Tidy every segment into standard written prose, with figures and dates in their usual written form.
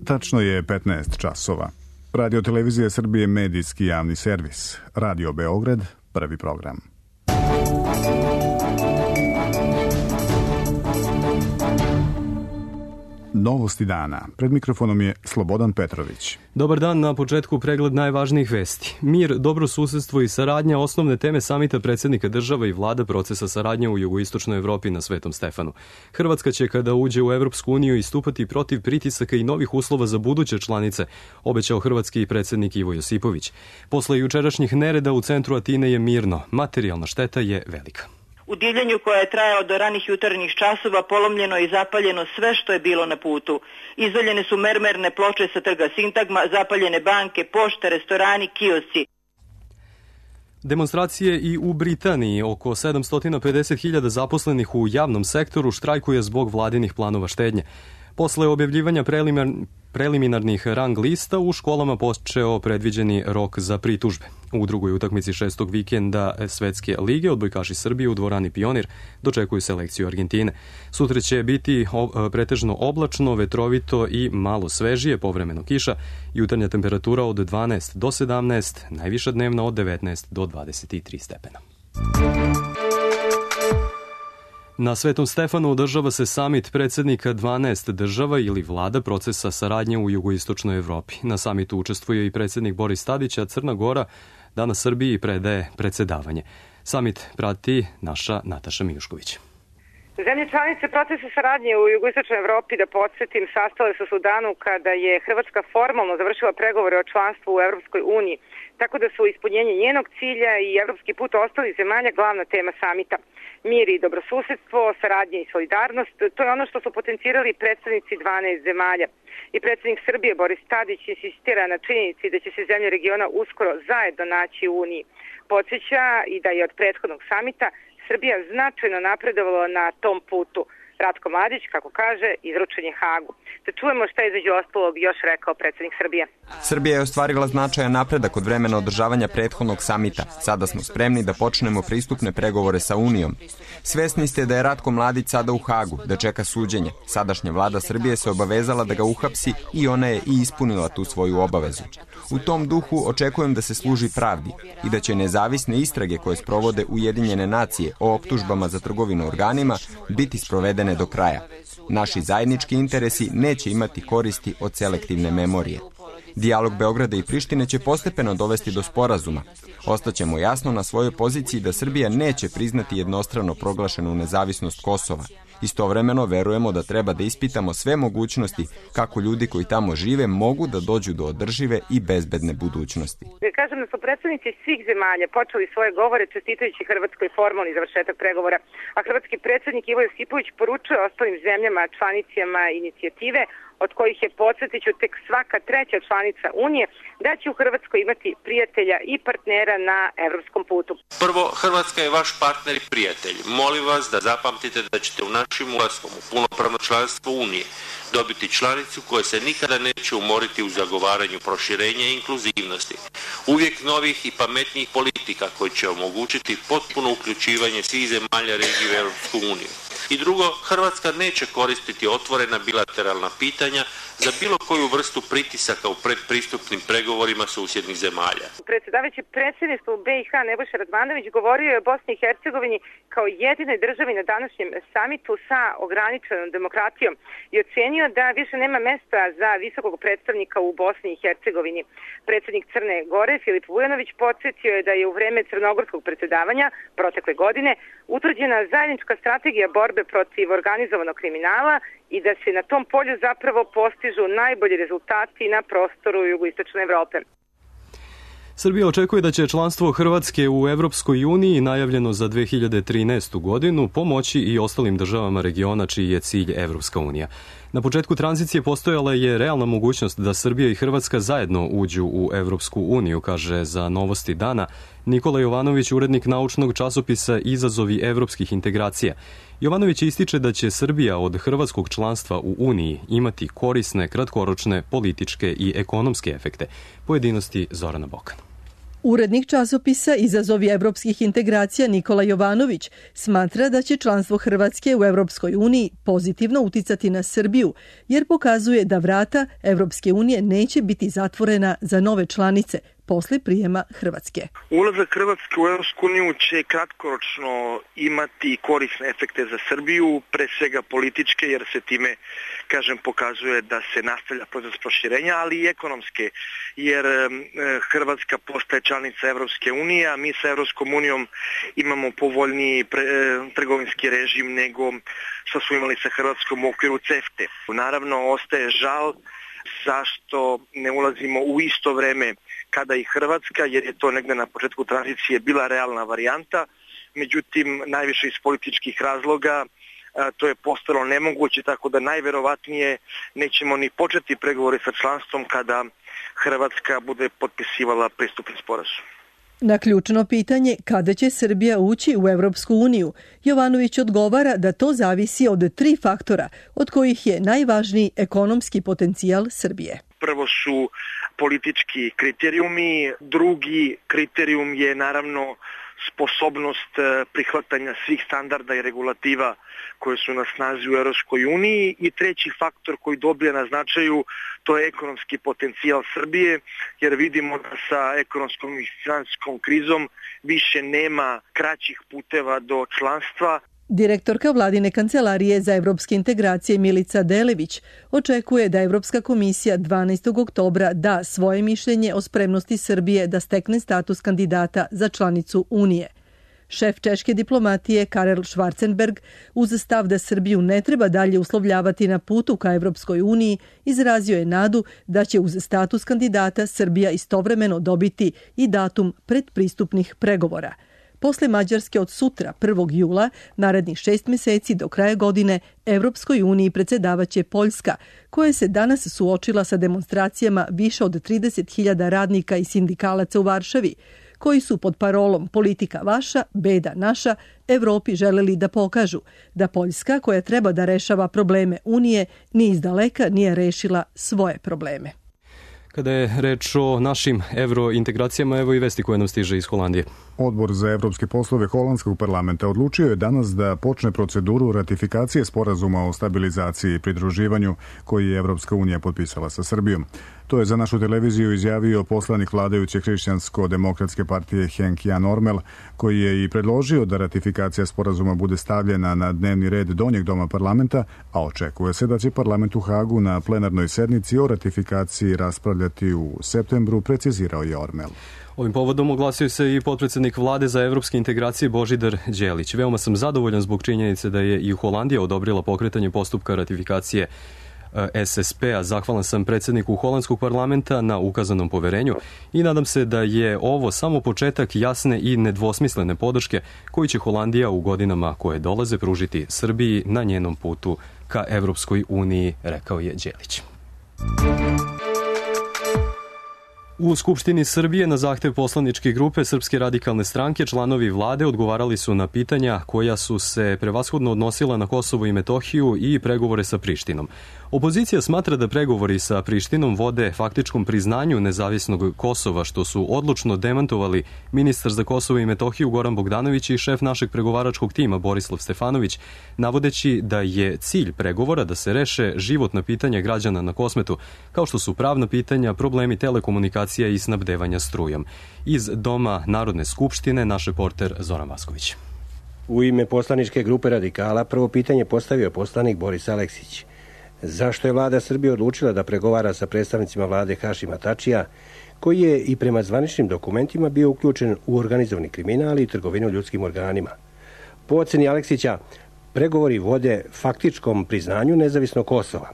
Tačno je 15 časova. Radio Televizija Srbije medijski javni servis. Radio Beograd, prvi program. Novosti dana. Pred mikrofonom je Slobodan Petrović. Dobar dan, na početku pregled najvažnijih vesti. Mir, dobro susedstvo i saradnja, osnovne teme samita predsjednika država i vlada procesa saradnje u jugoistočnoj Evropi na Svetom Stefanu. Hrvatska će kada uđe u Evropsku uniju istupati protiv pritisaka i novih uslova za buduće članice, obećao hrvatski predsjednik Ivo Josipović. Posle jučerašnjih nereda u centru Atine je mirno, materijalna šteta je velika. U divljenju koje je trajao do ranih jutarnjih časova polomljeno i zapaljeno sve što je bilo na putu. Izvaljene su mermerne ploče sa trga Sintagma, zapaljene banke, pošte, restorani, kiosci. Demonstracije i u Britaniji. Oko 750.000 zaposlenih u javnom sektoru štrajkuje zbog vladinih planova štednje. Posle objavljivanja preliminarnih rang lista u školama počeo predviđeni rok za pritužbe. U drugoj utakmici šestog vikenda Svetske lige odbojkaši Srbije u dvorani Pionir dočekuju selekciju Argentine. Sutra će biti pretežno oblačno, vetrovito i malo svežije, povremeno kiša, jutarnja temperatura od 12 do 17, najviša dnevna od 19 do 23 stepena. Na Svetom Stefanu održava se samit predsjednika 12 država ili vlada procesa saradnje u jugoistočnoj Evropi. Na samitu učestvuje i predsjednik Boris Tadić, a Crna Gora danas Srbiji predaje predsjedavanje. Samit prati naša Nataša Mijušković. Zemlje članice procesa saradnje u jugoistočnoj Evropi, da podsjetim, sastale se u danu kada je Hrvatska formalno završila pregovore o članstvu u Evropskoj uniji, tako da su ispunjenje njenog cilja i evropski put ostalih zemalja glavna tema samita. Mir i dobrosusedstvo, saradnje i solidarnost, to je ono što su potencirali predstavnici 12 zemalja. I predsjednik Srbije Boris Tadić insistira na činjenici da će se zemlje regiona uskoro zajedno naći u Uniji. Podsjeća i da je od prethodnog samita Srbija značajno napredovala na tom putu. Ratko Mladić, kako kaže, izručen je Hagu. Da čujemo šta je između ostalog još rekao predsjednik Srbije. Srbija je ostvarila značajan napredak od vremena održavanja prethodnog samita. Sada smo spremni da počnemo pristupne pregovore sa Unijom. Svesni ste da je Ratko Mladić sada u Hagu, da čeka suđenje. Sadašnja vlada Srbije se obavezala da ga uhapsi i ona je i ispunila tu svoju obavezu. U tom duhu očekujem da se služi pravdi i da će nezavisne istrage koje sprovode Ujedinjene nacije o optužbama za trgovinu organima biti sprovedene do kraja. Naši zajednički interesi neće imati koristi od selektivne memorije. Dijalog Beograda i Prištine će postepeno dovesti do sporazuma. Ostaćemo jasno na svojoj poziciji da Srbija neće priznati jednostrano proglašenu nezavisnost Kosova. Istovremeno verujemo da treba da ispitamo sve mogućnosti kako ljudi koji tamo žive mogu da dođu do održive i bezbedne budućnosti. Kažem da su predstavnici svih zemalja počeli svoje govore čestitajući Hrvatskoj formalni završetak pregovora, a hrvatski predsjednik Ivo Josipović poručuje ostalim zemljama članicama inicijative, od kojih je, podsjetiću, tek svaka treća članica Unije, da će u Hrvatskoj imati prijatelja i partnera na evropskom putu. Prvo, Hrvatska je vaš partner i prijatelj. Molim vas da zapamtite da ćete u našim ulaskom u punopravno članstvo Unije dobiti članicu koja se nikada neće umoriti u zagovaranju proširenja i inkluzivnosti. Uvijek novih i pametnijih politika koji će omogućiti potpuno uključivanje svih zemalja regije u Europsku uniju. I drugo, Hrvatska neće koristiti otvorena bilateralna pitanja za bilo koju vrstu pritisaka u predpristupnim pregovorima susjednih zemalja. Predsjedavajući predsjedništvu BiH Nebojša Radmanović govorio je o Bosni i Hercegovini kao jedinoj državi na današnjem samitu sa ograničenom demokratijom i ocenio da više nema mesta za visokog predstavnika u Bosni i Hercegovini. Predsjednik Crne Gore Filip Vujanović podsjetio je da je u vreme crnogorskog predsjedavanja protekle godine utvrđena zajednička strategija borbe protiv organizovanog kriminala i da se na tom polju zapravo postižu najbolji rezultati na prostoru jugoistočne Evrope. Srbija očekuje da će članstvo Hrvatske u Evropskoj uniji, najavljeno za 2013. godinu, pomoći i ostalim državama regiona čiji je cilj Evropska unija. Na početku tranzicije postojala je realna mogućnost da Srbija i Hrvatska zajedno uđu u Evropsku uniju, kaže za Novosti dana Nikola Jovanović, urednik naučnog časopisa Izazovi evropskih integracija. Jovanović ističe da će Srbija od hrvatskog članstva u Uniji imati korisne, kratkoročne, političke i ekonomske efekte. Pojedinosti Zorana Bokan. Urednik časopisa Izazovi evropskih integracija Nikola Jovanović smatra da će članstvo Hrvatske u Evropskoj uniji pozitivno uticati na Srbiju, jer pokazuje da vrata Evropske unije neće biti zatvorena za nove članice posle prijema Hrvatske. Ulazak Hrvatske u Evropsku uniju će kratkoročno imati korisne efekte za Srbiju, pre svega političke, jer se time, pokazuje da se nastavlja proces proširenja, ali i ekonomske, jer Hrvatska postaje članica Evropske unije, a mi sa Evropskom unijom imamo povoljniji trgovinski režim nego što smo imali sa Hrvatskom u okviru CEFTE. Naravno, ostaje žal zašto ne ulazimo u isto vreme kada i Hrvatska, jer je to negde na početku tranzicije bila realna varijanta, međutim najviše iz političkih razloga to je postalo nemoguće, tako da najverovatnije nećemo ni početi pregovore sa članstvom kada Hrvatska bude potpisivala pristupni sporazum. Na ključno pitanje kada će Srbija ući u Evropsku uniju, Jovanović odgovara da to zavisi od 3 faktora, od kojih je najvažniji ekonomski potencijal Srbije. Prvo su politički kriterijumi, drugi kriterijum je naravno sposobnost prihvatanja svih standarda i regulativa koje su na snazi u Evropskoj uniji i treći faktor koji dobija na značaju, to je ekonomski potencijal Srbije, jer vidimo da sa ekonomskom i finansijskom krizom više nema kraćih puteva do članstva. Direktorka Vladine kancelarije za evropske integracije Milica Delević očekuje da Evropska komisija 12. oktobra da svoje mišljenje o spremnosti Srbije da stekne status kandidata za članicu Unije. Šef češke diplomatije Karel Schwarzenberg uz stav da Srbiju ne treba dalje uslovljavati na putu ka Evropskoj uniji izrazio je nadu da će uz status kandidata Srbija istovremeno dobiti i datum predpristupnih pregovora. Posle Mađarske od sutra, 1. jula, narednih 6 meseci do kraja godine, Evropskoj uniji predsjedavaće Poljska, koja se danas suočila sa demonstracijama više od 30.000 radnika i sindikalaca u Varšavi, koji su pod parolom politika vaša, beda naša, Evropi želeli da pokažu da Poljska, koja treba da rešava probleme Unije, ni izdaleka nije rešila svoje probleme. Kada je reč o našim evrointegracijama, evo i vesti koje nam stiže iz Holandije. Odbor za evropske poslove Holandskog parlamenta odlučio je danas da počne proceduru ratifikacije sporazuma o stabilizaciji i pridruživanju koji je Evropska unija potpisala sa Srbijom. To je za našu televiziju izjavio poslanik vladajuće Hrišćansko-demokratske partije Henk Jan Ormel, koji je i predložio da ratifikacija sporazuma bude stavljena na dnevni red donjeg doma parlamenta, a očekuje se da će parlament u Hagu na plenarnoj sednici o ratifikaciji raspravljati u septembru, precizirao je Ormel. Ovim povodom oglasio se i potpredsjednik vlade za evropske integracije Božidar Đelić. Veoma sam zadovoljan zbog činjenice da je i Holandija odobrila pokretanje postupka ratifikacije SSP-a. Zahvalan sam predsjedniku holandskog parlamenta na ukazanom poverenju i nadam se da je ovo samo početak jasne i nedvosmislene podrške koju će Holandija u godinama koje dolaze pružiti Srbiji na njenom putu ka Evropskoj uniji, rekao je Đelić. U Skupštini Srbije na zahtev poslaničke grupe Srpske radikalne stranke članovi vlade odgovarali su na pitanja koja su se prevashodno odnosila na Kosovo i Metohiju i pregovore sa Prištinom. Opozicija smatra da pregovori sa Prištinom vode faktičkom priznanju nezavisnog Kosova, što su odlučno demantovali ministar za Kosovo i Metohiju Goran Bogdanović i šef našeg pregovaračkog tima Borislav Stefanović, navodeći da je cilj pregovora da se reše životna pitanja građana na Kosmetu, kao što su pravna pitanja, problemi telekomunikacija i snabdevanja strujom. Iz Doma Narodne skupštine naš reporter Zoran Vasković. U ime poslaničke grupe Radikala prvo pitanje postavio poslanik Boris Aleksić. Zašto je vlada Srbije odlučila da pregovara sa predstavnicima vlade Hašima Tačija, koji je i prema zvaničnim dokumentima bio uključen u organizovani kriminal i trgovinu ljudskim organima? Po oceni Aleksića, pregovori vode faktičkom priznanju nezavisnog Kosova.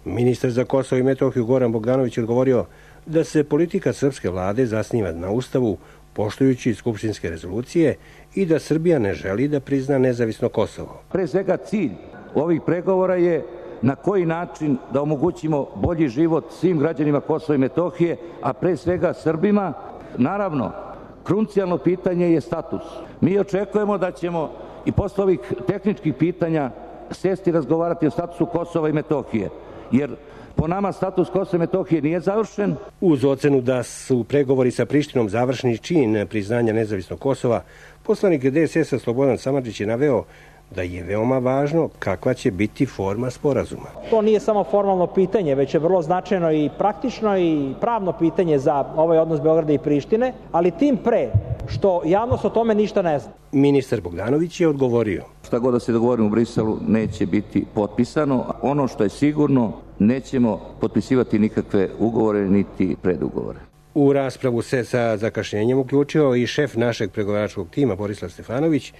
Ministar za Kosovo i Metohiju Goran Bogdanović je odgovorio da se politika srpske vlade zasniva na Ustavu, poštujući skupštinske rezolucije, i da Srbija ne želi da prizna nezavisno Kosovo. Pre svega cilj ovih pregovora je na koji način da omogućimo bolji život svim građanima Kosova i Metohije, a pre svega Srbima. Naravno, krucijalno pitanje je status. Mi očekujemo da ćemo i posle ovih tehničkih pitanja sesti i razgovarati o statusu Kosova i Metohije. jer po nama status Kosova i Metohije nije završen. Uz ocenu da su pregovori sa Prištinom završni čin priznanja nezavisnog Kosova, poslanik DSS-a Slobodan Samardžić je naveo da je veoma važno kakva će biti forma sporazuma. To nije samo formalno pitanje, već je vrlo značajno i praktično i pravno pitanje za ovaj odnos Beograda i Prištine, ali tim pre što javnost o tome ništa ne zna. Ministar Bogdanović je odgovorio: Šta god da se dogovorimo u Briselu neće biti potpisano. Ono što je sigurno, nećemo potpisivati nikakve ugovore niti predugovore. U raspravu se sa zakašnjenjem uključio i šef našeg pregovaračkog tima Borislav Stefanović,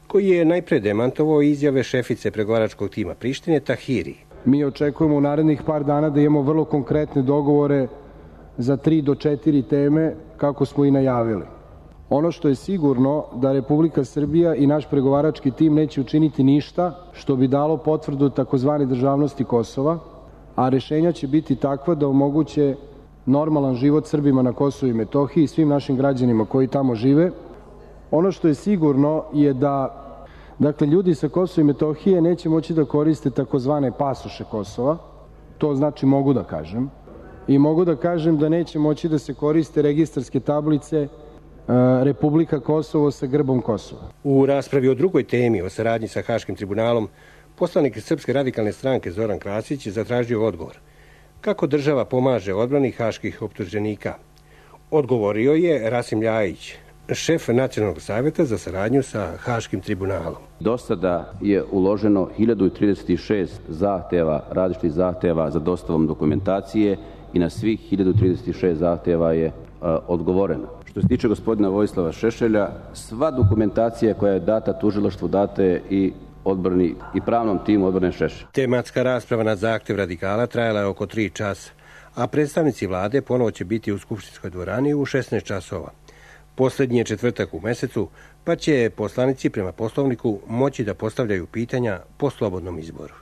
koji je najpre demantovao izjave šefice pregovaračkog tima Prištine Tahiri. Mi očekujemo u narednih par dana da imamo vrlo konkretne dogovore za 3 do 4 teme, kako smo i najavili. Ono što je sigurno da Republika Srbija i naš pregovarački tim neće učiniti ništa što bi dalo potvrdu takozvane državnosti Kosova, a rešenja će biti takva da omoguće normalan život Srbima na Kosovu i Metohiji i svim našim građanima koji tamo žive. Ono što je sigurno je da ljudi sa Kosova i Metohije neće moći da koriste takozvane pasoše Kosova, to znači mogu da kažem, i mogu da kažem da neće moći da se koriste registarske tablice Republika Kosovo sa grbom Kosova. U raspravi o drugoj temi, o saradnji sa Haškim tribunalom, poslanik Srpske radikalne stranke Zoran Krasić je zatražio odgovor. Kako država pomaže odbrani haških optuženika? Odgovorio je Rasim Ljajić, šef Nacionalnog savjeta za saradnju sa Haškim tribunalom. Do sada je uloženo 1036 zahteva, različitih zahteva za dostavom dokumentacije i na svih 1036 zahteva je odgovoreno. Što se tiče gospodina Vojislava Šešelja, sva dokumentacija koja je data tužilaštvu data je i odbrani i pravnom timu odbrane Šešelja. Tematska rasprava na zahtev radikala trajala je oko 3 časa, a predstavnici vlade ponovo će biti u Skupštinskoj dvorani u 16 časova. Poslednji je četvrtak u mesecu, pa će poslanici prema Poslovniku moći da postavljaju pitanja po slobodnom izboru.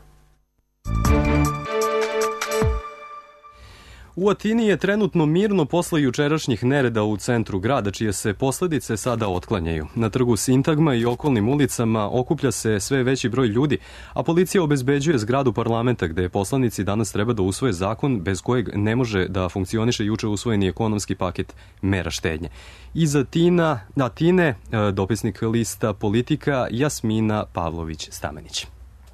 U Atini je trenutno mirno posle jučerašnjih nereda u centru grada, čije se posledice sada otklanjaju. Na trgu Sintagma i okolnim ulicama okuplja se sve veći broj ljudi, a policija obezbeđuje zgradu parlamenta gde poslanici danas treba da usvoje zakon bez kojeg ne može da funkcioniše juče usvojeni ekonomski paket mera štednje. Iz Atine, dopisnik lista Politika Jasmina Pavlović-Stamenić.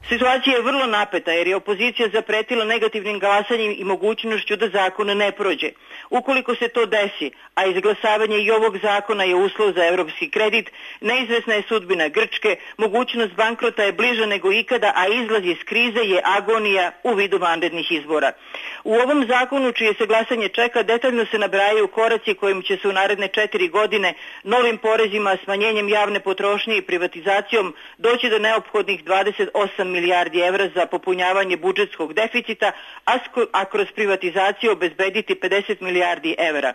Situacija je vrlo napeta jer je opozicija zapretila negativnim glasanjem i mogućnošću da zakon ne prođe. Ukoliko se to desi, a izglasavanje i ovog zakona je uslov za evropski kredit, neizvesna je sudbina Grčke, mogućnost bankrota je bliža nego ikada, a izlaz iz krize je agonija u vidu vanrednih izbora. U ovom zakonu, čije se glasanje čeka, detaljno se nabrajaju koraci kojim će se u naredne 4 godine novim porezima, smanjenjem javne potrošnje i privatizacijom doći do neophodnih 28 milijardi evra za popunjavanje budžetskog deficita, a kroz privatizaciju obezbediti 50 milijardi evra.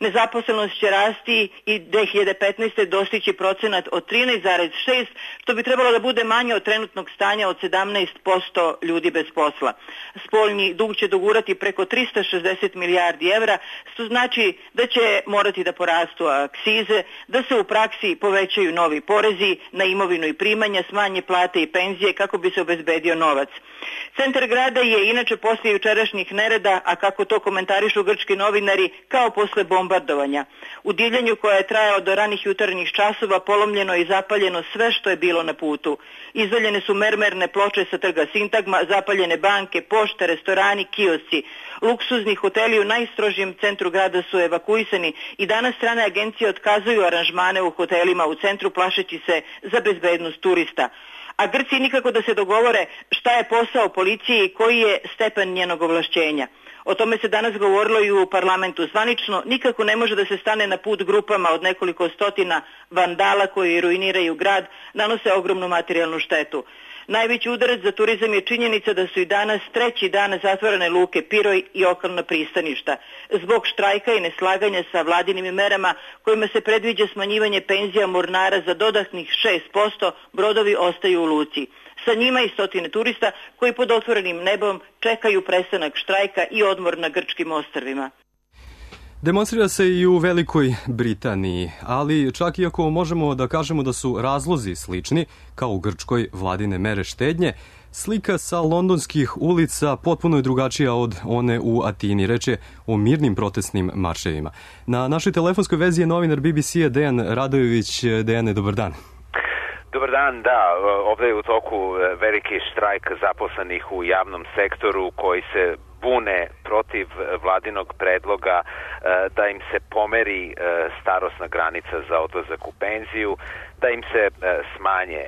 Nezaposlenost će rasti i 2015. dostići procenat od 13,6, što bi trebalo da bude manje od trenutnog stanja od 17% ljudi bez posla. Spoljni dug će dogurati preko 360 milijardi evra, što znači da će morati da porastu akcize, da se u praksi povećaju novi porezi na imovinu i primanja, smanje plate i penzije kako bi se obezbedio novac. Centar grada je inače posle jučerašnjih nereda, a kako to komentarišu grčki novinari, kao posle bombardovanja. U divljenju koje je trajalo do ranih jutarnjih časova polomljeno i zapaljeno sve što je bilo na putu. Izvaljene su mermerne ploče sa trga Sintagma, zapaljene banke, pošte, restorani, kiosci. Luksuzni hoteli u najstrožijem centru grada su evakuisani i danas strane agencije otkazuju aranžmane u hotelima u centru plašeći se za bezbednost turista. A Grci nikako da se dogovore šta je posao policije i koji je stepen njenog ovlašćenja. O tome se danas govorilo i u parlamentu. Zvanično nikako ne može da se stane na put grupama od nekoliko stotina vandala koji ruiniraju grad, nanose ogromnu materijalnu štetu. Najveći udarac za turizam je činjenica da su i danas 3. dan zatvorene luke Piroj i okolna pristaništa. Zbog štrajka i neslaganja sa vladinim merama kojima se predviđa smanjivanje penzija mornara za dodatnih 6%, brodovi ostaju u luci. Sa njima i stotine turista koji pod otvorenim nebom čekaju prestanak štrajka i odmor na grčkim ostrvima. Demonstrira se i u Velikoj Britaniji, ali čak i ako možemo da kažemo da su razlozi slični, kao u Grčkoj vladine mere štednje, Slika sa londonskih ulica potpuno je drugačija od one u Atini. Reč je o mirnim protestnim marševima. Na našoj telefonskoj vezi je novinar BBC-a Dejan Radojević. Dejane, dobar dan. Dobar dan, da. Ovdje je u toku veliki štrajk zaposlenih u javnom sektoru koji se bune protiv vladinog predloga da im se pomeri starosna granica za odlazak u penziju, da im se smanje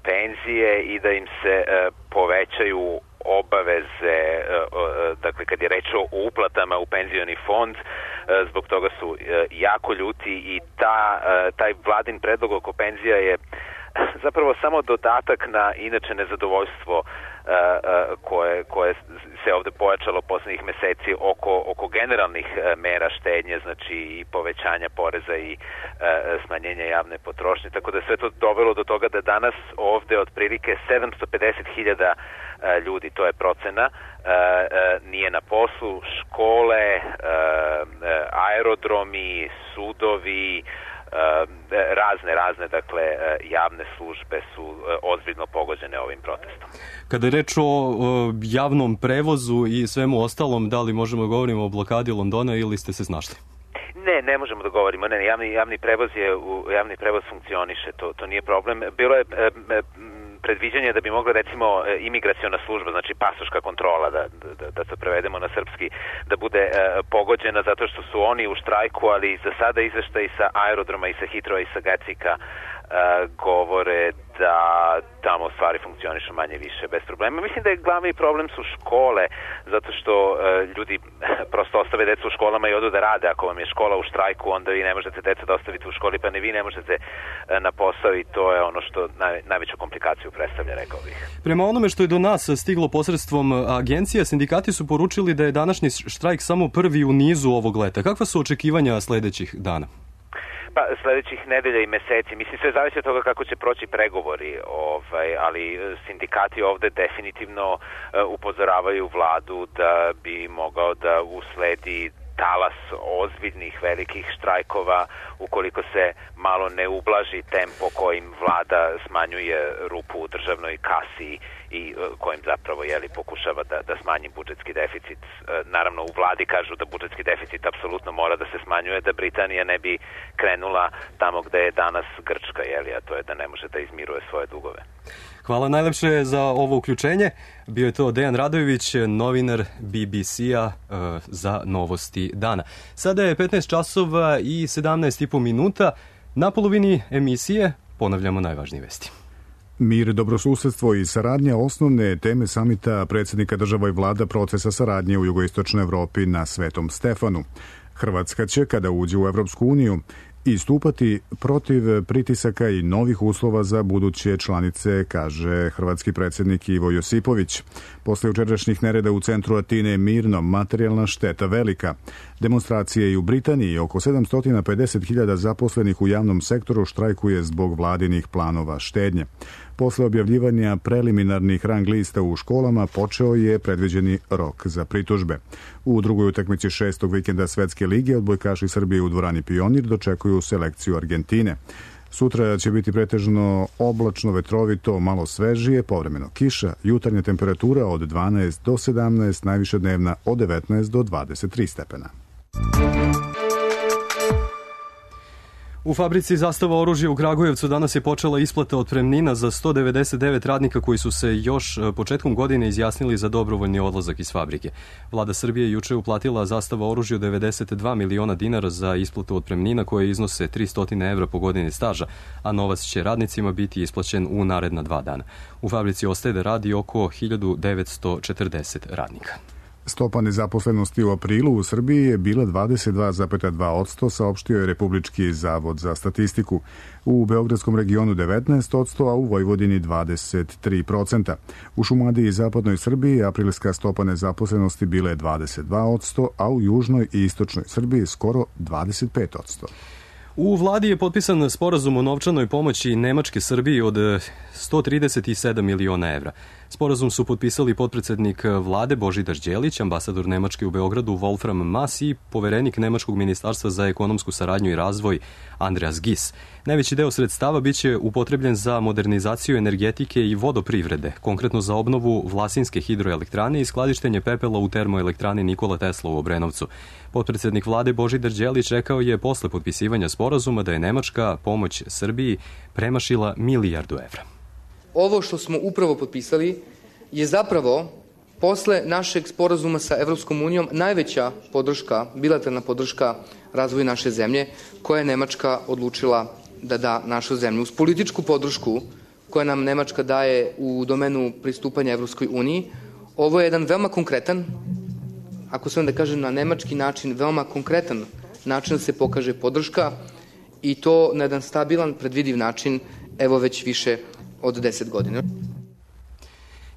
penzije i da im se povećaju obaveze, dakle kad je reč o uplatama u penzioni fond. Zbog toga su jako ljuti i taj vladin predlog oko penzija je zapravo samo dodatak na inače nezadovoljstvo koje se ovde pojačalo poslednjih meseci oko generalnih mera štednje, znači i povećanja poreza i smanjenja javne potrošnje. Tako da sve to dovelo do toga da danas ovde otprilike 750.000 ljudi, to je procena, nije na poslu, škole, aerodromi, sudovi, razne, dakle, javne službe su ozbiljno pogođene ovim protestom. Kada je reč o javnom prevozu i svemu ostalom, da li možemo da govorimo o blokadi Londona ili ste se snašli? Ne možemo da govorimo. Javni prevoz funkcioniše, to nije problem. Bilo je predviđanje da bi mogla recimo imigraciona služba, znači pasoška kontrola, da to prevedemo na srpski, da bude pogođena zato što su oni u štrajku, ali za sada izveštaji sa aerodroma i sa Hitrova i sa Gatwicka govore da tamo stvari funkcionišu manje više bez problema. Mislim da je glavni problem su škole, zato što ljudi prosto ostave decu u školama i odu da rade. Ako vam je škola u štrajku, onda vi ne možete decu da ostavite u školi, pa ni vi ne možete na posao i to je ono što najveću komplikaciju predstavlja, rekao bih. Prema onome što je do nas stiglo posredstvom agencija, sindikati su poručili da je današnji štrajk samo prvi u nizu ovog leta. Kakva su očekivanja sledećih dana? Pa sledećih nedelja i meseci. Mislim, sve zavisi od toga kako će proći pregovori, ali sindikati ovde definitivno upozoravaju vladu da bi mogao da usledi talas ozbiljnih velikih štrajkova ukoliko se malo ne ublaži tempo kojim vlada smanjuje rupu u državnoj kasi i kojim zapravo pokušava da smanji budžetski deficit. Naravno, u vladi kažu da budžetski deficit apsolutno mora da se smanjuje, da Britanija ne bi krenula tamo gde je danas Grčka, a to je da ne može da izmiruje svoje dugove. Hvala najlepše za ovo uključenje. Bio je to Dejan Radojević, novinar BBC-a za novosti dana. Sada je 15 časova i 17,5 minuta. Na polovini emisije ponavljamo najvažnije vesti. Mir, dobrosusedstvo i saradnja osnovne teme samita predsjednika država i vlada procesa saradnje u jugoistočnoj Evropi na Svetom Stefanu. Hrvatska će, kada uđe u Evropsku uniju, istupati protiv pritisaka i novih uslova za buduće članice, kaže hrvatski predsjednik Ivo Josipović. Posle jučerašnjih nereda u centru Atine mirno, materijalna šteta velika. Demonstracije i u Britaniji, oko 750.000 zaposlenih u javnom sektoru štrajkuje zbog vladinih planova štednje. Posle objavljivanja preliminarnih rang lista u školama počeo je predviđeni rok za pritužbe. U drugoj utakmici 6. vikenda Svetske lige odbojkaši Srbije u dvorani Pionir dočekuju selekciju Argentine. Sutra će biti pretežno oblačno, vetrovito, malo svežije, povremeno kiša, jutarnja temperatura od 12 do 17, najviša dnevna od 19 do 23 stepena. U fabrici Zastava oružja u Kragujevcu danas je počela isplata otpremnina za 199 radnika koji su se još početkom godine izjasnili za dobrovoljni odlazak iz fabrike. Vlada Srbije juče uplatila Zastava oružju 92 miliona dinara za isplatu otpremnina koje iznose 300 evra po godini staža, a novac će radnicima biti isplaćen u naredna 2 dana. U fabrici ostaje da radi oko 1940 radnika. Stopa nezaposlenosti u aprilu u Srbiji je bila 22,2%, saopštio je Republički zavod za statistiku. U Beogradskom regionu 19%, a u Vojvodini 23%. U Šumadiji i zapadnoj Srbiji aprilska stopa nezaposlenosti bila je 22%, a u južnoj i istočnoj Srbiji skoro 25%. U vladi je potpisan sporazum o novčanoj pomoći Nemačke Srbiji od 137 miliona evra. Sporazum su potpisali potpredsednik vlade Božidar Đelić, ambasador Nemačke u Beogradu Wolfram Maas i poverenik Nemačkog ministarstva za ekonomsku saradnju i razvoj Andreas Gies. Najveći deo sredstava biće upotrebljen za modernizaciju energetike i vodoprivrede, konkretno za obnovu Vlasinske hidroelektrane i skladištenje pepela u termoelektrani Nikola Tesla u Obrenovcu. Potpredsednik vlade Božidar Đelić rekao je posle potpisivanja sporazuma da je nemačka pomoć Srbiji premašila milijardu evra. Ovo što smo upravo potpisali je zapravo posle našeg sporazuma sa Evropskom unijom najveća podrška, bilateralna podrška razvoju naše zemlje koja je Nemačka odlučila da da našu zemlju. Uz političku podršku koja nam Nemačka daje u domenu pristupanja Evropskoj uniji, ovo je jedan veoma konkretan, ako se onda kaže na nemački način, veoma konkretan način da se pokaže podrška i to na jedan stabilan, predvidiv način, evo već više od 10 godina.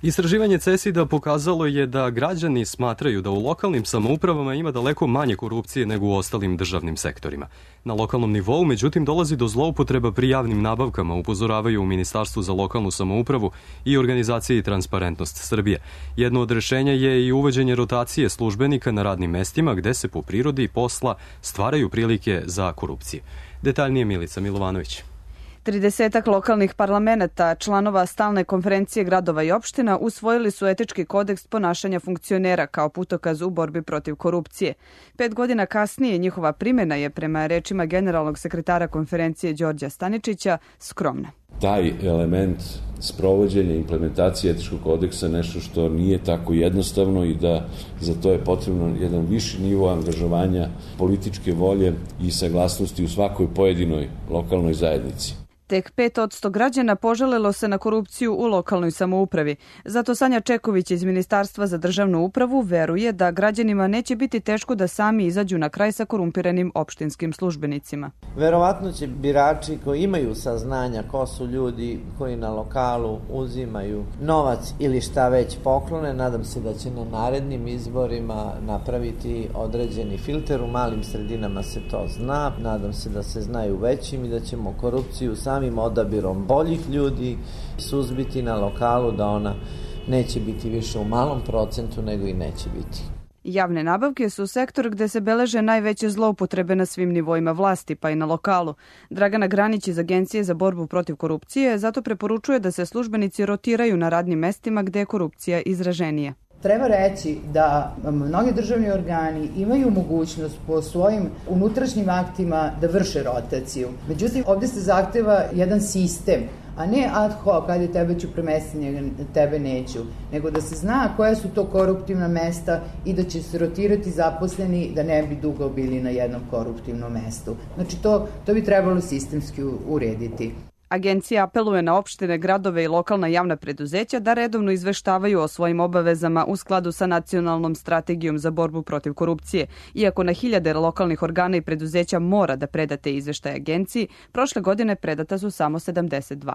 Istraživanje CESID-a pokazalo je da građani smatraju da u lokalnim samoupravama ima daleko manje korupcije nego u ostalim državnim sektorima. Na lokalnom nivou, međutim, dolazi do zloupotreba pri javnim nabavkama, upozoravaju u Ministarstvu za lokalnu samoupravu i organizaciji Transparentnost Srbije. Jedno od rešenja je i uvođenje rotacije službenika na radnim mestima gde se po prirodi posla stvaraju prilike za korupcije. Detaljnije Milica Milovanović. 30 lokalnih parlamenta, članova stalne konferencije gradova i opština, usvojili su etički kodeks ponašanja funkcionera kao putokaz u borbi protiv korupcije. 5 godina kasnije njihova primjena je, prema rečima generalnog sekretara konferencije Đorđa Staničića, skromna. Taj element sprovođenja i implementacije etičkog kodeksa nešto što nije tako jednostavno i da za to je potrebno jedan viši nivo angažovanja političke volje i saglasnosti u svakoj pojedinoj lokalnoj zajednici. Tek 5% građana požalilo se na korupciju u lokalnoj samoupravi. Zato Sanja Čeković iz Ministarstva za državnu upravu veruje da građanima neće biti teško da sami izađu na kraj sa korumpiranim opštinskim službenicima. Verovatno će birači koji imaju saznanja ko su ljudi koji na lokalu uzimaju novac ili šta već poklone, nadam se da će na narednim izborima napraviti određeni filter. U malim sredinama se to zna, nadam se da se znaju većim i da ćemo korupciju samim odabirom boljih ljudi suzbiti na lokalu, da ona neće biti više u malom procentu nego i neće biti. Javne nabavke su sektor gde se beleže najveće zloupotrebe na svim nivoima vlasti, pa i na lokalu. Dragana Granić iz Agencije za borbu protiv korupcije zato preporučuje da se službenici rotiraju na radnim mestima gde je korupcija izraženija. Treba reći da mnogi državni organi imaju mogućnost po svojim unutrašnjim aktima da vrše rotaciju. Međutim, ovdje se zahteva jedan sistem, a ne ad hoc, kada tebe ću premestiti, tebe neću, nego da se zna koja su to koruptivna mesta i da će se rotirati zaposleni da ne bi dugo bili na jednom koruptivnom mestu. Znači, to bi trebalo sistemski urediti. Agencija apeluje na opštine, gradove i lokalna javna preduzeća da redovno izveštavaju o svojim obavezama u skladu sa nacionalnom strategijom za borbu protiv korupcije. Iako na hiljade lokalnih organa i preduzeća mora da predate izveštaje agenciji, prošle godine predata su samo 72.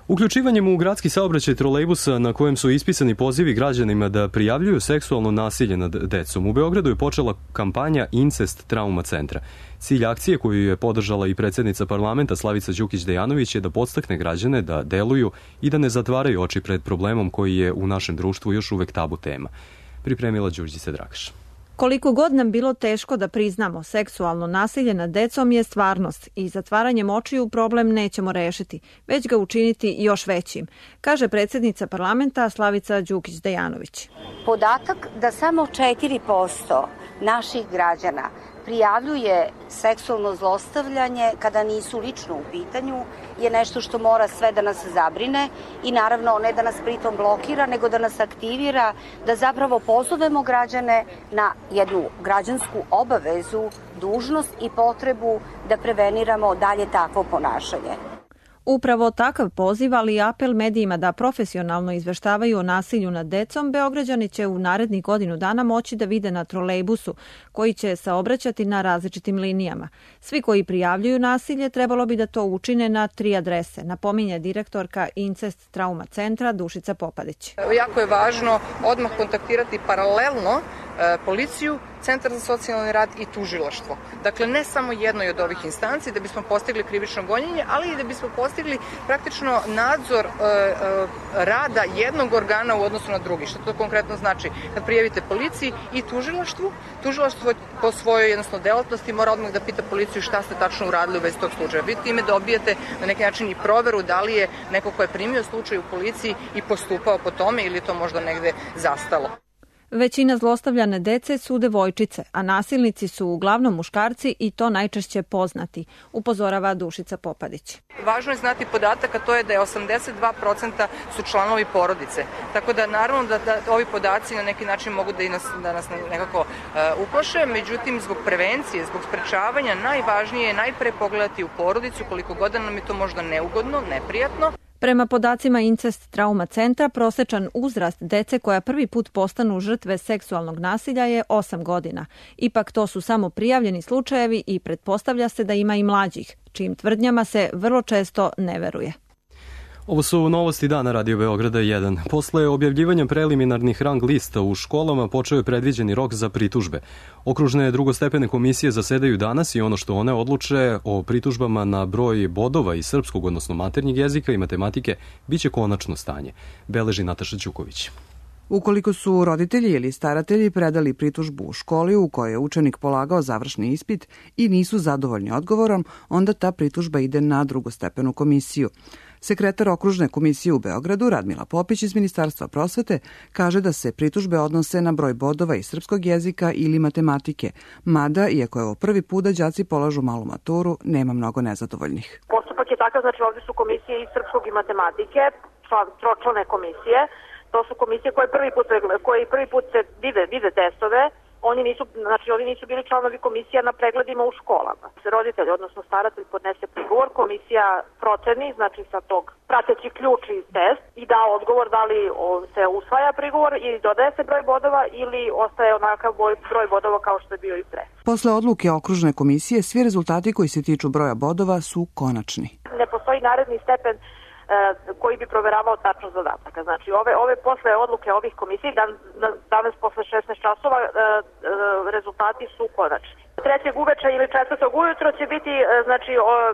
Uključivanjem u gradski saobraćaj trolejbusa na kojem su ispisani pozivi građanima da prijavljuju seksualno nasilje nad decom, u Beogradu je počela kampanja Incest Trauma centra. Cilj akcije koju je podržala i predsjednica parlamenta Slavica Đukić Dejanović je da podstakne građane da deluju i da ne zatvaraju oči pred problemom koji je u našem društvu još uvek tabu tema. Pripremila Đurđica Dragaš. Koliko god nam bilo teško da priznamo, seksualno nasilje nad decom je stvarnost i zatvaranjem očiju problem nećemo rešiti, već ga učiniti još većim, kaže predsjednica parlamenta Slavica Đukić Dejanović. Podatak da samo 4% naših građana prijavljuje seksualno zlostavljanje kada nisu lično u pitanju je nešto što mora sve da nas zabrine i naravno ne da nas pritom blokira, nego da nas aktivira, da zapravo pozovemo građane na jednu građansku obavezu, dužnost i potrebu da preveniramo dalje takvo ponašanje. Upravo takav poziv, ali i apel medijima da profesionalno izveštavaju o nasilju nad decom, Beograđani će u narednih godinu dana moći da vide na trolejbusu, koji će saobraćati na različitim linijama. Svi koji prijavljuju nasilje trebalo bi da to učine na 3 adrese, napominje direktorka Incest Trauma centra Dušica Popadić. Jako je važno odmah kontaktirati paralelno policiju, Centar za socijalni rad i tužilaštvo. Dakle, ne samo jednoj od ovih instanci da bismo postigli krivično gonjenje, ali i da bismo postigli praktično nadzor rada jednog organa u odnosu na drugi. Što to konkretno znači? Kad prijavite policiji i tužilaštvu, tužilaštvo po svojoj jednostavno delatnosti mora odmah da pita policiju šta ste tačno uradili u vezi tog slučaja. Vi time dobijete na neki način i proveru da li je neko ko je primio slučaj u policiji i postupao po tome ili to možda negde zastalo. Većina zlostavljane dece su devojčice, a nasilnici su uglavnom muškarci i to najčešće poznati, upozorava Dušica Popadić. Važno je znati podatak, a to je da je 82% su članovi porodice. Tako da naravno da ovi podaci na neki način mogu da nas nekako uplaše, međutim zbog prevencije, zbog sprečavanja najvažnije je najpre pogledati u porodicu koliko god nam je to možda neugodno, neprijatno. Prema podacima Incest Trauma centra, prosečan uzrast dece koja prvi put postanu žrtve seksualnog nasilja je 8 godina. Ipak to su samo prijavljeni slučajevi i pretpostavlja se da ima i mlađih, čijim tvrdnjama se vrlo često ne veruje. Ovo su novosti dana Radio Beograda 1. Posle objavljivanja preliminarnih rang lista u školama počeo je predviđeni rok za pritužbe. Okružne drugostepene komisije zasedaju danas i ono što one odluče o pritužbama na broj bodova iz srpskog, odnosno maternjeg jezika i matematike, biće konačno stanje, beleži Nataša Ćuković. Ukoliko su roditelji ili staratelji predali pritužbu u školi u kojoj je učenik polagao završni ispit i nisu zadovoljni odgovorom, onda ta pritužba ide na drugostepenu komisiju. Sekretar okružne komisije u Beogradu, Radmila Popić iz Ministarstva prosvete, kaže da se pritužbe odnose na broj bodova iz srpskog jezika ili matematike, mada, iako je ovo prvi put da đaci polažu malu maturu, nema mnogo nezadovoljnih. Postupak je takav, znači ovdje su komisije iz srpskog i matematike, tročlane komisije. To su komisije koje prvi put se vide testove. Oni nisu bili članovi komisija na pregledima u školama. Roditelj, odnosno staratelj, podnese prigovor, komisija proceni, znači sa tog prateći ključ i test i da odgovor da li se usvaja prigovor ili dodaje se broj bodova ili ostaje onakav broj bodova kao što je bio i pre. Posle odluke okružne komisije, svi rezultati koji se tiču broja bodova su konačni. Ne postoji naredni stepen koji bi proveravao tačnost zadataka. Znači, ove posle odluke ovih komisij, danas posle 16 časova, rezultati su konačni. 3. uveče ili 4. ujutro će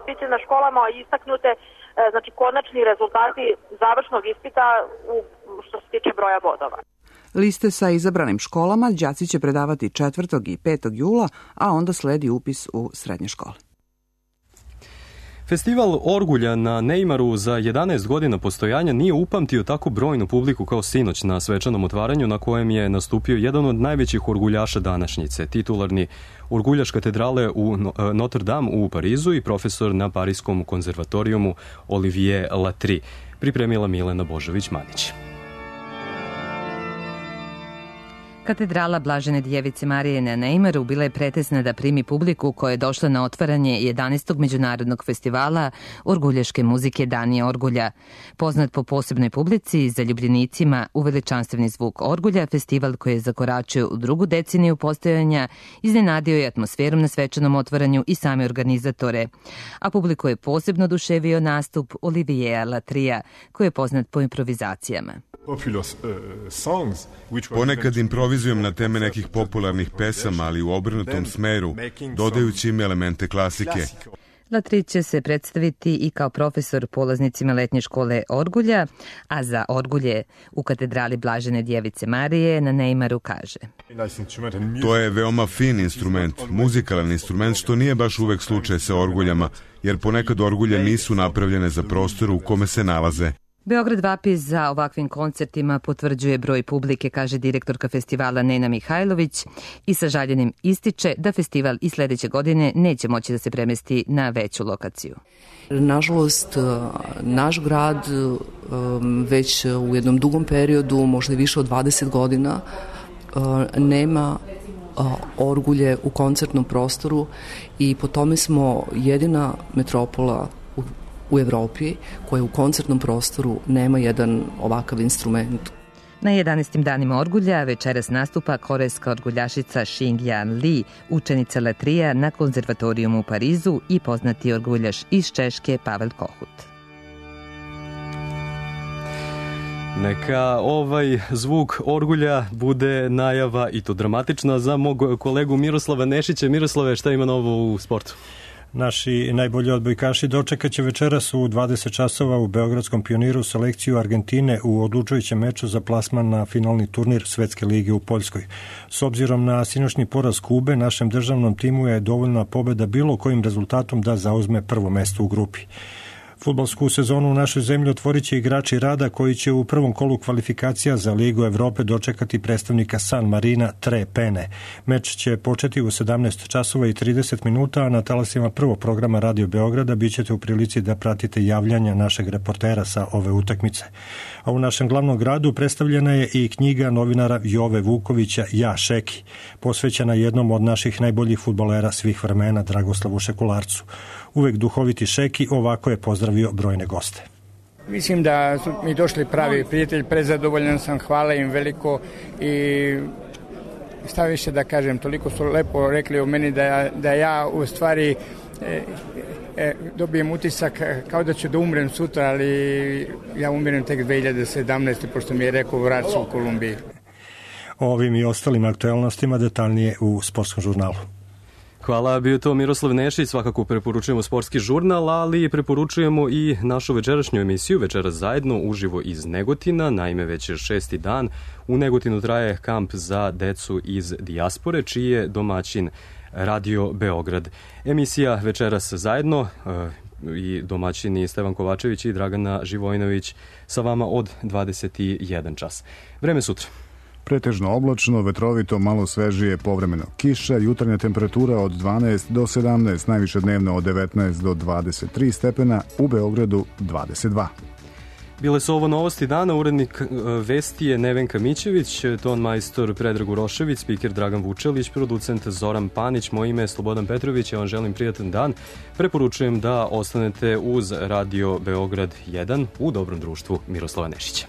biti na školama istaknute konačni rezultati završnog ispita što se tiče broja bodova. Liste sa izabranim školama đaci će predavati 4. i 5. jula, a onda sledi upis u srednje škole. Festival Orgulja na Neimaru za 11 godina postojanja nije upamtio tako brojnu publiku kao sinoć na svečanom otvaranju na kojem je nastupio jedan od najvećih orguljaša današnjice, titularni orguljaš katedrale u Notre Dame u Parizu i profesor na Parijskom konzervatorijumu Olivier Latry, pripremila Milena Božović-Manić. Katedrala Blažene Djevice Marije na Neimaru bila je pretesna da primi publiku koja je došla na otvaranje 11. međunarodnog festivala orguljaške muzike Dani Orgulja. Poznat po posebnoj publici, zaljubljenicima u veličanstveni zvuk orgulja, festival koji je zakoračio u drugu deceniju postojanja iznenadio je atmosferom na svečanom otvaranju i same organizatore. A publiku je posebno oduševio nastup Oliviera Latrya, koji je poznat po improvizacijama. Ponekad improvizujem na teme nekih popularnih pesama, ali u obrnutom smeru, dodajući im elemente klasike. Latry će se predstaviti i kao profesor polaznicima letnje škole Orgulja, a za Orgulje u katedrali Blažene Djevice Marije na Neimaru kaže: To je veoma fin instrument, muzikalan instrument, što nije baš uvek slučaj sa orguljama, jer ponekad orgulje nisu napravljene za prostor u kome se nalaze. Beograd vapi za ovakvim koncertima, potvrđuje broj publike, kaže direktorka festivala Nena Mihajlović i sa žaljenjem ističe da festival i sledeće godine neće moći da se premesti na veću lokaciju. Nažalost, naš grad već u jednom dugom periodu, možda i više od 20 godina, nema orgulje u koncertnom prostoru i po tome smo jedina metropola u Evropi koja u koncertnom prostoru nema jedan ovakav instrument. Na 11. danima orgulja večeras nastupa korejska orguljašica Xingyan Li, učenica Latrya na konzervatorijumu u Parizu i poznati orguljaš iz Češke Pavel Kohut. Neka ovaj zvuk orgulja bude najava, i to dramatična, za mog kolegu Miroslava Nešića. Miroslave, šta ima novo u sportu? Naši najbolji odbojkaši dočekaće večeras u 20 časova u Beogradskom Pioniru selekciju Argentine u odlučujućem meču za plasman na finalni turnir Svetske lige u Poljskoj. S obzirom na sinoćni poraz Kube, našem državnom timu je dovoljna pobeda bilo kojim rezultatom da zauzme prvo mesto u grupi. Fudbalsku sezonu u našoj zemlji otvorit će igrači Rada koji će u prvom kolu kvalifikacija za Ligu Evrope dočekati predstavnika San Marina Tre Pene. Meč će početi u 17 časova i 30 minuta, a na talasima prvog programa Radio Beograda bit ćete u prilici da pratite javljanja našeg reportera sa ove utakmice. A u našem glavnom gradu predstavljena je i knjiga novinara Jove Vukovića Ja Šeki, posvećena jednom od naših najboljih fudbalera svih vremena, Dragoslavu Šekularcu. Uvek duhoviti Šeki ovako je pozdravio brojne goste. Mislim da su mi došli pravi prijatelji, prezadovoljan sam, hvala im veliko i šta više da kažem, toliko su lepo rekli o meni da ja u stvari dobijem utisak kao da ću da umrem sutra, ali ja umirem tek 2017. pošto mi je rekao vraća se u Kolumbiji. O ovim i ostalim aktualnostima detaljnije u Sportskom žurnalu. Hvala, bio to Miroslav Nešić. Svakako preporučujemo Sportski žurnal, ali preporučujemo i našu večerašnju emisiju Večeras zajedno uživo iz Negotina. Naime, već je 6. dan u Negotinu traje kamp za decu iz dijaspore, čiji je domaćin Radio Beograd. Emisija Večeras zajedno i domaćini Stevan Kovačević i Dragana Živojinović sa vama od 21 čas. Vreme sutra. Pretežno oblačno, vetrovito, malo svežije, povremeno kiša, jutarnja temperatura od 12 do 17, najviše dnevno od 19 do 23 stepena, u Beogradu 22. Bile su ovo novosti dana, urednik vesti je Nevenka Mićević, ton majstor Predrag Urošević, spiker Dragan Vučelić, producent Zoran Panić, moje ime je Slobodan Petrović, ja vam želim prijatan dan. Preporučujem da ostanete uz Radio Beograd 1 u dobrom društvu Miroslava Nešića.